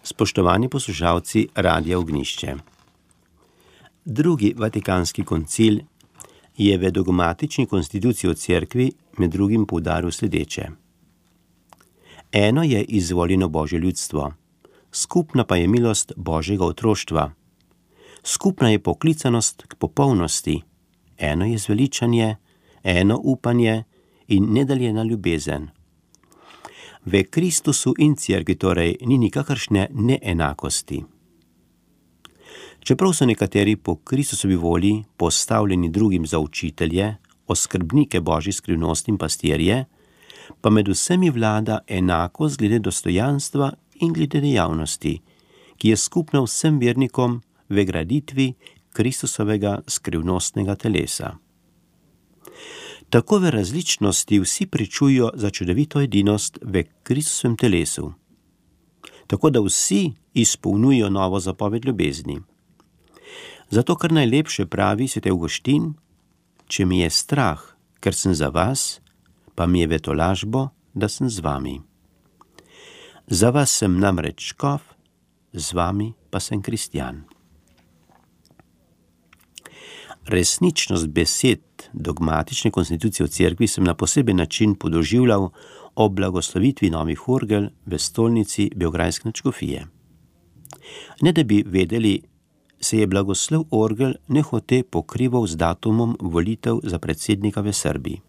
Spoštovani poslušalci Radia Ognjišče. Drugi Vatikanski koncil je v dogmatični konstituciji o cerkvi med drugim poudaril sledeče. Eno je izvoljeno Božje ljudstvo, skupna pa je milost Božjega otroštva. Skupna je poklicanost k popolnosti, eno je zveličanje, eno upanje in nedeljena ljubezen. V Kristusu in cerkvi torej ni nikakršne neenakosti. Čeprav so nekateri po Kristusovi volji postavljeni drugim za učitelje, oskrbnike Božjih skrivnosti in pastirje, pa med vsemi vlada enakost glede dostojanstva in glede dejavnosti, ki je skupna vsem vernikom v graditvi Kristusovega skrivnostnega telesa. Tako v različnosti vsi pričujo za čudovito edinost v Kristusovem telesu, tako da vsi izpolnjujo novo zapoved ljubezni. Zato kar najlepše pravi sveti Avguštin, če mi je strah, ker sem za vas, pa mi je v tolažbo, da sem z vami. Za vas sem namreč škof, z vami pa sem kristjan. Resničnost besed dogmatične konstitucije v cerkvi sem na poseben način podoživljal ob blagoslovitvi novih orgel v stolnici Beograjske nadškofije. Ne da bi vedeli, se je blagoslov orgel nehote pokrival z datumom volitev za predsednika v Srbiji.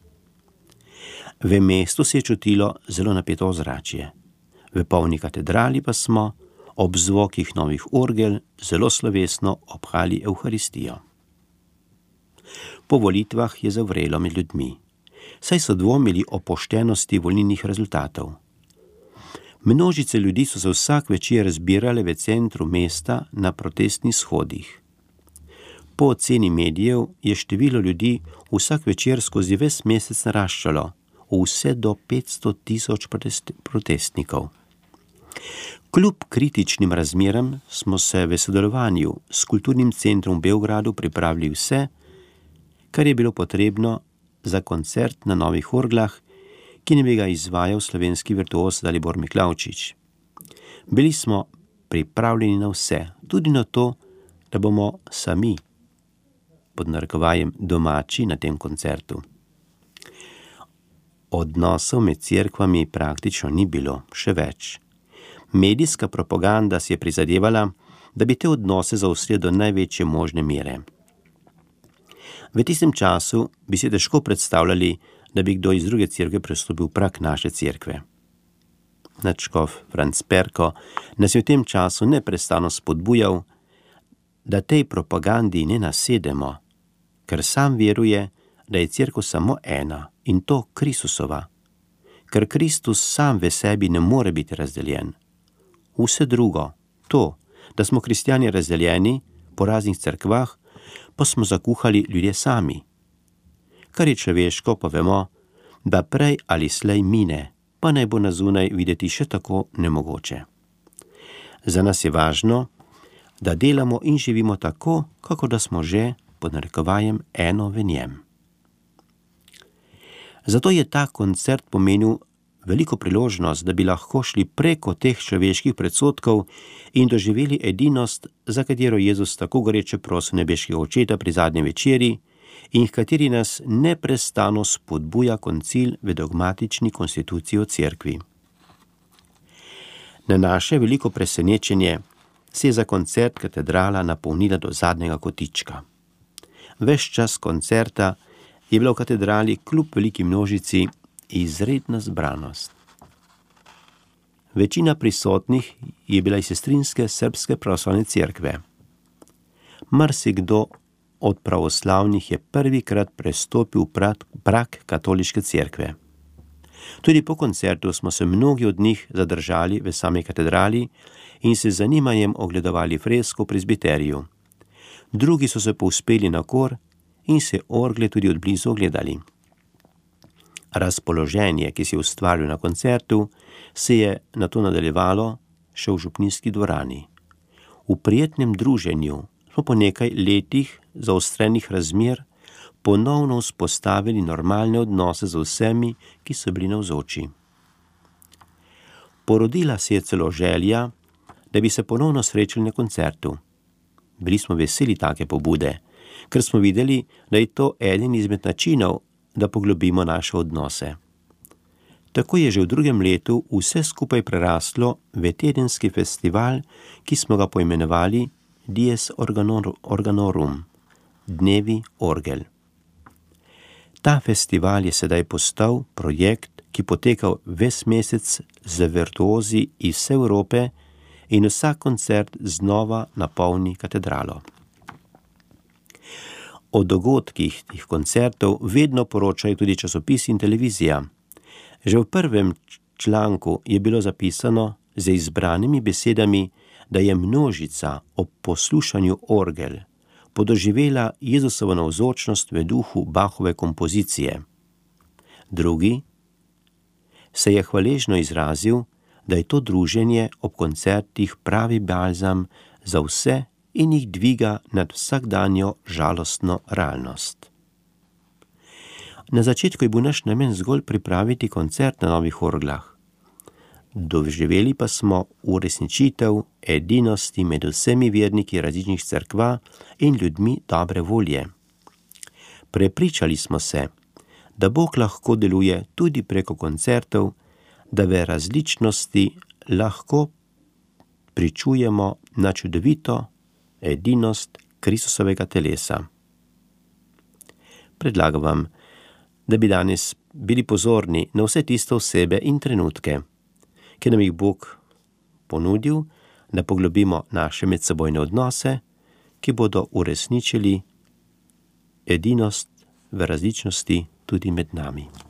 V mestu se je čutilo zelo napeto ozračje. V polni katedrali pa smo ob zvokih novih orgel zelo slovesno obhali Evharistijo. Po volitvah je zavrelo med ljudmi, saj so dvomili o poštenosti volilnih rezultatov. Množice ljudi so se vsak večer zbirale v centru mesta na protestnih shodih. Po oceni medijev je število ljudi vsak večer skozi ves mesec naraščalo, vse do 500.000 protestnikov. Kljub kritičnim razmeram smo se v sodelovanju s Kulturnim centrom v Beogradu pripravili vse, kar je bilo potrebno za koncert na novih orglah, ki ne bi ga izvajal slovenski virtuoz Dalibor Miklavčič. Bili smo pripravljeni na vse, tudi na to, da bomo sami, pod narekovajem, domači na tem koncertu. Odnosov med cerkvami praktično ni bilo, še več. Medijska propaganda si je prizadevala, da bi te odnose zaostrila do največje možne mere. V tistem času bi si težko predstavljali, da bi kdo iz druge cerkve prestopil prag naše cerkve. Nadškof Franc Perko nas je v tem času neprestano spodbujal, da tej propagandi ne nasedemo, ker sam veruje, da je cerkev samo ena in to Kristusova, ker Kristus sam v sebi ne more biti razdeljen. Vse drugo, to, da smo kristjani razdeljeni po raznih cerkvah, pa smo zakuhali ljudje sami. Kar je človeško, pa vemo, da prej ali slej mine, pa naj bo na zunaj videti še tako nemogoče. Za nas je važno, da delamo in živimo tako, kako da smo že, pod narekovajem, eno v njem. Zato je ta koncert pomenil veliko priložnost, da bi lahko šli preko teh človeških predsodkov in doživeli edinost, za katero Jezus tako goreče prosi nebeškega Očeta pri zadnji večeri in v kateri nas neprestano spodbuja koncil v dogmatični konstituciji o cerkvi. Na naše veliko presenečenje se je za koncert katedrala napolnila do zadnjega kotička. Ves čas koncerta je bila v katedrali kljub veliki množici izredna zbranost. Večina prisotnih je bila iz sestrinske srbske pravoslavne cerkve. Marsikdo od pravoslavnih je prvikrat prestopil prag katoliške cerkve. Tudi po koncertu smo se mnogi od njih zadržali v sami katedrali in se z zanimanjem ogledovali fresko v prezbiteriju. Drugi so se povzpeli na kor in se orgle tudi od blizu ogledali. Razpoloženje, ki se je ustvarilo na koncertu, se je nato nadaljevalo še v župnijski dvorani. V prijetnem druženju smo po nekaj letih zaostrenih razmer ponovno vzpostavili normalne odnose z vsemi, ki so bili navzoči. Porodila se je celo želja, da bi se ponovno srečali na koncertu. Bili smo veseli take pobude, ker smo videli, da je to eden izmed načinov, da poglobimo naše odnose. Tako je že v drugem letu vse skupaj preraslo v tedenski festival, ki smo ga poimenovali Dies Organorum, Dnevi orgel. Ta festival je sedaj postal projekt, ki poteka ves mesec z virtuozi iz vse Evrope in vsak koncert znova napolni katedralo. O dogodkih tih koncertov vedno poročajo tudi časopisi in televizija. Že v prvem članku je bilo zapisano z izbranimi besedami, da je množica ob poslušanju orgel podoživela Jezusovo navzočnost v duhu Bachove kompozicije. Drugi se je hvaležno izrazil, da je to druženje ob koncertih pravi balzam za vse in jih dviga nad vsakdanjo žalostno realnost. Na začetku je bil naš namen zgolj pripraviti koncert na novih orglah. Doživeli pa smo uresničitev edinosti med vsemi verniki različnih cerkva in ljudmi dobre volje. Prepričali smo se, da Bog lahko deluje tudi preko koncertov, da v različnosti lahko pričujemo na čudovito edinost Kristusovega telesa. Predlagam vam, da bi danes bili pozorni na vse tiste osebe in trenutke, ki nam jih Bog ponudil, da poglobimo naše medsebojne odnose, ki bodo uresničili edinost v različnosti tudi med nami.